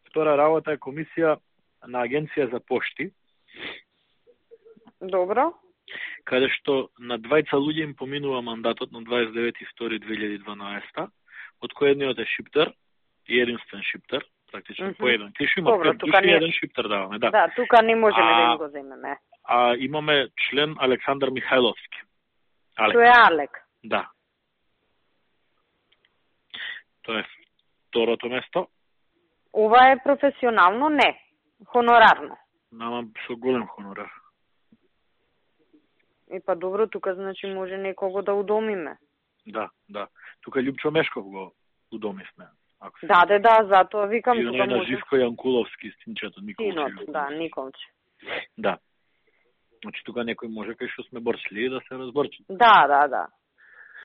Втора работа е комисија на Агенција за пошти. Добро. Каде што на двајца луѓе им поминува мандатот на 29.2.2012, од кој едниот е шиптар и единствен шиптар, практично по еден. Тиши има 5 души и еден шиптар даваме, да. Да, тука не можеме да им го земеме. А имаме член Александар Михајловски. Тој е Алек. Да. Тоа е второто место. Ова е професионално? Не. Хонорарно. Нама со голем хонорар. Па добро, тука значи може некого да удомиме. Да. Тука Љупчо Мешков го удомивме. Да, затоа викам тука може. И на Живко Јанкуловски, синчето Николче. Да, Николче. Да. Значи тука некој може кај што сме борчли да се разборчи. Да.